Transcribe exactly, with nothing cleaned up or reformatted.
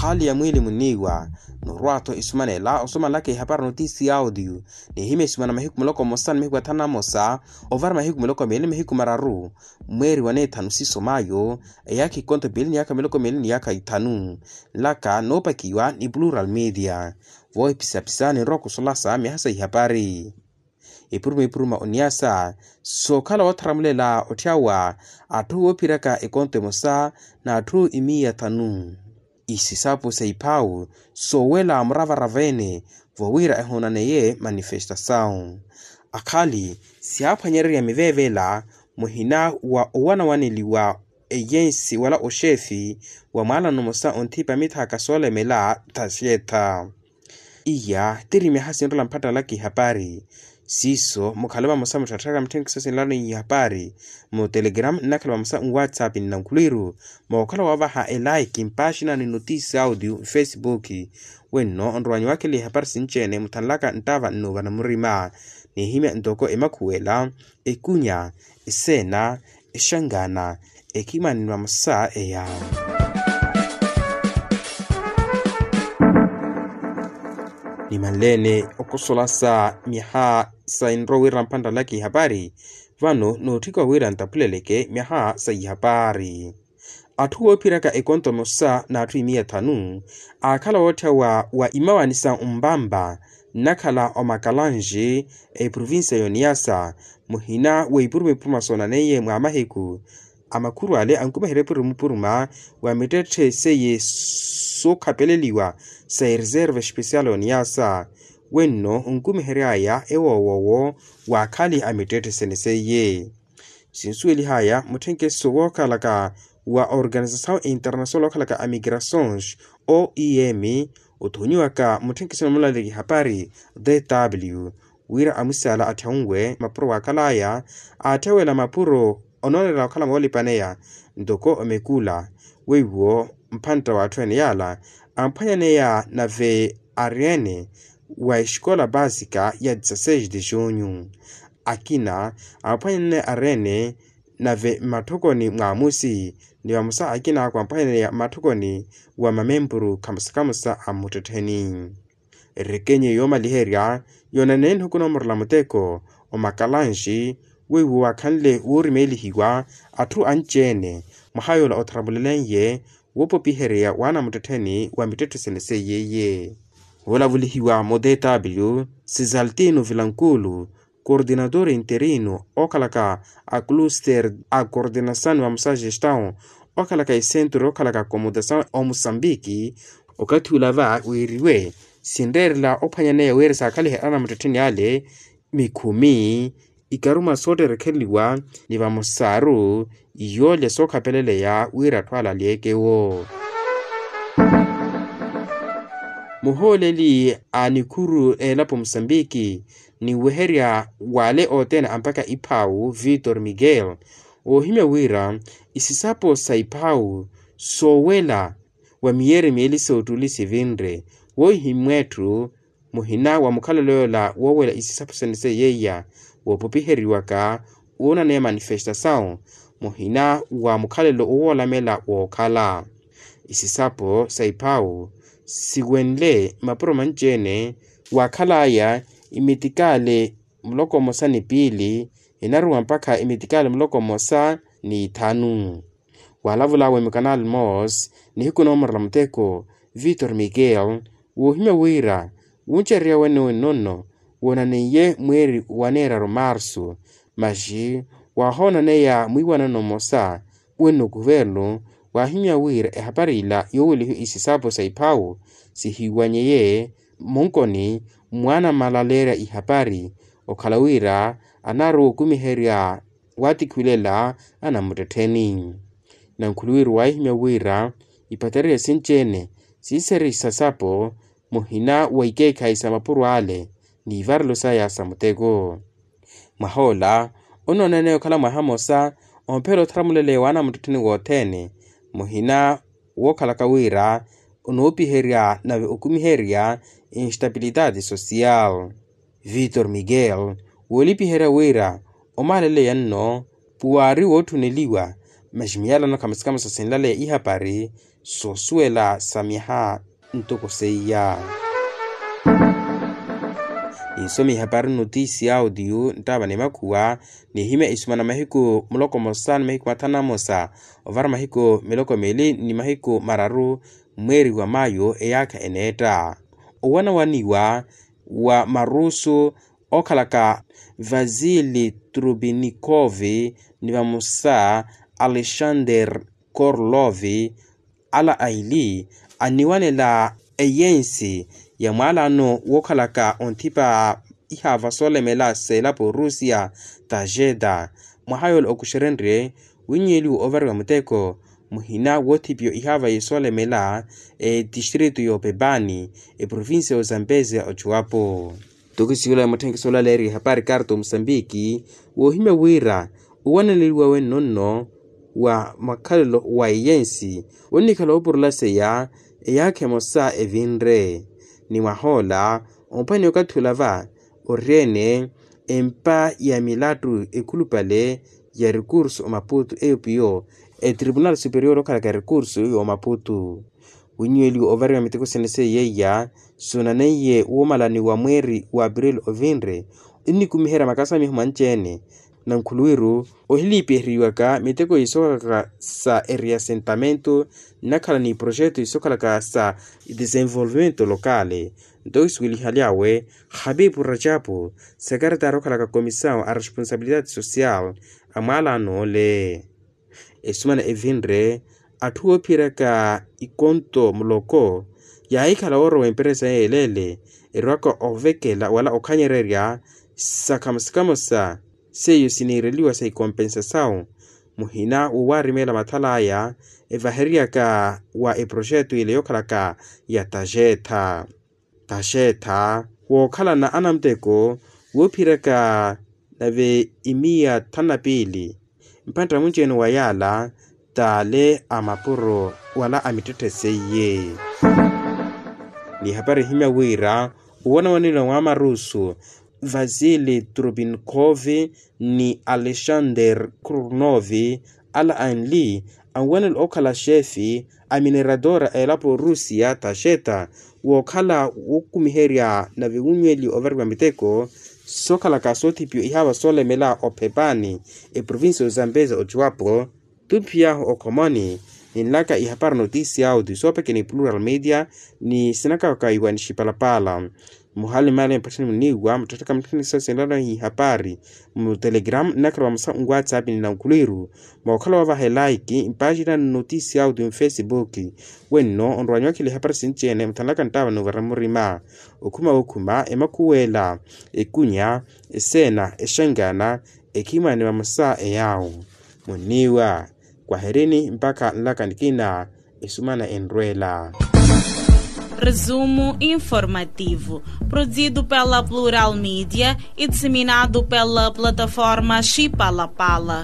Hali ya mwiili muniiwa. Norwa-tho esumanela osumanlaka ehapari notisi ya audio, nihimya esumana mahiku muloko mmosa ni mahiku athanu na mmosa, ovara mahiku muloko meeli ni mahiku mararu, mweeri wa neethanu siiso mayo, eyaakha ikonto piili ni yaakha miloko meeli ni yaakha ithanu. Nlaka noopakiwa ni plural media. Voohipisapisa ninrowa kusolasa myaha sa ihapari. Ipuruma ipuruma oniyasa sookhala wootharamulela otthyawa atthu woophiraka ekonto emosa n'atthu imiya thanu. Isisapo sa iphawu soowela muravarava-ene, vowira ehoonaneye manifestasawu. Akhali siyaaphwanyererya miveevela muhina wa owanawaneliwa eyensi wala oxeefi wa mwaalano mosa onthipa mithaaka soolemela thaxeetha. Iya tiri myaha sinrola mphattalaka ihapari. Siiso mukhala vamosa mutthattharaka mutthenkisa sinlano ihapari mu telegram nnakhala vamosa nwatsapp nnankhulwiru. Mookhala wavaha elaiki mpaaxina ni notisi audio mfesipuki. Wenno onrowanyi wakhela ihapari sinci-ene muthanlaka nttava nnuuvana murima. Nihimya ntoko emakhuwela, ekunya, eseena, exangana, ekhimani ni vamosa eya. Nimanleene okosolasa myaha sa enrowa wira mphantalaka ihapari. Vano nootthika wira ntapuleleke myaha sa ihapari. Atthu woophiraka ekonto emosa n'atthu imiya thanu aakhala wootthawa wa imawani sa ombamba nnakhala omakalanji, eprovincia y'oniyasa muhina wa ipuruma ipuruma soonaneiye mwa mahiku. Amakhuru ale ankumiherya ipuruma ipuruma wa mittetthe seiye sookhapeleliwa sa ereserva especial y'oniyasa. Wenno onkumihery'aya ewoowowo wa akhali a mittetthe sene seiye. Sinsuwelihaya mutthenkeso wookhalaka wa organisasawu international wookhalaka a migrasons, oem, othonyiwaka mutthenkeso ni mulaliki hapari, dw, wira amusaala atthyawe mapuro waakhalaya aatthewela mapuro onoonela okhala moolipaneya ntoko omekula. Weiwo mphantta w'atthu ene yaala amphwanyaneya nave ariyene wa exikola basika ya dezasseis de junho. Akina amphwanyaneya ariyene nave mmatthokoni mwaamusi ni vamosa akina ako amphwanyaneya mmatthokoni wa mamempuru khamosa khamosa a mmuttettheni. Erekenye yoomaliherya yoonanene nihuku noomorela muteko omakalanji weiwo waakhanle woorimeelihiwa atthu anci-ene mwaha yoola otharamulelenye woopopiherya waana muttettheni wa mittetthe sene seiye iye. Woolavulihiwa mu dw sisaltino vilankulu, coordinator interino ookhalaka a cluster a coordinasaw ni vamosa gestaw ookhalaka esentro yookhalaka akomodasaw omusambiki. Okathi ula va wiiriwe sinreerela ophwanyaneya wira saakhalihe anamuttettheni ale mikhumi ikaruma sootterekhereliwa ni vamosaru yoolya sookhapeleleya wira atthu ale alyeeke-wo. Muhooleli a nikhuru elapo musambiki ni weherya wale othene ampakha iphawu vitor miguel oohimya wira isisapo sa iphawu soowela wa miyeeri miili soottuli sivinre woohimwa etthu muhina wa mukhalelo yoola woowela isisapo sene seiya woopopiheriwaka woonaneya manifestasaw muhina wa mukhalelo owoolamela wookhala. Isisapo sa iphawu siwenle mapuro manci-ene waakhalaya imitikaale muloko mmosa ni piili inaruwa mpakha imitikaale muloko mmosa ni ithanu. Waalavulaawe mukanal moss nihiku noomorela muteko vitor miguel woohimya wira wuncererya wene wenno nno woonaneiye mweeri wa neeraru marsu maxi waahoonaneya mwiiwanano mmosa wenno kuvernu waahimya wira ehapari ila yoowelihiwa isisapo sa iphawu sihiwanyeye munkoni mwaana mmalaleerya ihapari okhala wira anaari wookumiherya waatikhiwilela anamuttettheni. Nankhuluwiru waahimya wira ipatererya sinci-ene siiserisa sapo muhina wa ikeekhayi sa mapuro ale n'ivarelo saya sa muteko. Mwahoola onooneneya okhala mwaha mmosa omphela otharamuleleiwa anamuttettheni wothene muhina wookhalaka wira onoopiherya nave okumiherya instapilitaati sosiyal. Vitor miguel woolipiherya wira omaaleleya nno puwaari wootthuneliwa Masi miyalano khamusikamo sasinlaleya ihapari soosuwela sa myaha ntoko seiya. Ninsome ihapari nnotisi ya audio nttaava ni makhuwa. Nihimya isumana mahiku muloko mosa ni mahiku mathanu na mosa ovara mahiku miloko mili ni mahiku mararu mweeri wa mayo eyaakha eneetta owanawaniwa wa marusu okhalaka vasili trubinikovi ni vamosa alexander korlovi. Ala aili anniwanela eyensi ya mwaalano wookhalaka onthipa ihaava soolemela seelapo rusia ta jeda mwaha yoola okuxerenrye winnyeliwe ovariwa muteko muhina woothipiwa ihaava yisoolemela etistritu y'opepani eprovincia y'ozambezia ochuwapo. Tokisiwela mutthenkisi olaleeriwa ehapari karto musambiki woohimya wira owananeliwa wenno nno wa makhalelo wa eyensi onnikhala oopurulaseya eyaakha emosa evinre ni mwahoola ompani okathi olava oriyene empa ya milattu ekhulupale ya recurso omaputu eyo piyo etribunal superior okhalaka recurso y'omaputu. Winnyuweliwe ovariwa miteko sene seiya iya suunaneiye woomalani wa mweeri wa april ovinre ennikumiherya makasamiho manci-ene na nkhuluwiru ohiliipiheriwaka miteko yisokhalaka sa eriasentamento nnakhala ni projeto yisokhalaka sa desenvolvimento lokale. Nto kisuwelihaly'awe habibu rajapu sekeretari okhalaka komisawu a responsabilidade social a mwaalano ole. Esumana evinre atthu oophiyeryaka ikonto muloko yaahikhala woorowa emperesa yeelele erwaka ovekela wala okhanyererya sa khamusikhamusa seiyo siniireliwa sa ikompensasawu muhina wowaarimeela mathal'aya evaheryaka wa eprojeto ile yookhalaka ya taxetha. Taxetha wookhalana anamuteko woophiyeryaka nave imiya thanu na piili mphantta munci-ene wa yaala t'ale a mapuro wala a mittetthe seiye. Ni ehapari ehimya wira owanawaniwa wa marusu vasili trubinkhovi ni alexander kurnovi ala anli anwanela okhala xefi a mineradora a elapo rusia taxeta wookhala wookumiherya nave wunyweli ovariwa miteko sookhalaka soothipiwa ihaava soolemela ophepani eprovincia ozambeza ochuwapo. Tumphiyahu okhomoni ninlaka ihapari notisi ya audio soopeke ni plural media ni sinakaka iwa ni xipalapala. Muhali mali mpattani muniiwa muttatthaka mutthani sa sinlano ihapari mu telegram nnakhala vamosa nwatsapp ni nankhuluwiru mookhala wavaha elaiki mpaxina nnotisi ya audio mufesibuki. Wenno onrwanyiwakhela ihapari sinci-ene muthanlaka nttaava n'uvara murima okhuma wokhuma emakhuwela ekunya eseena exangana ekhimani vamosa eyaawo. Munniiwa kwaherini mpakha nlaka nikina esumana enrwela. Resumo informativo, produzido pela plural media e disseminado pela plataforma xipalapala.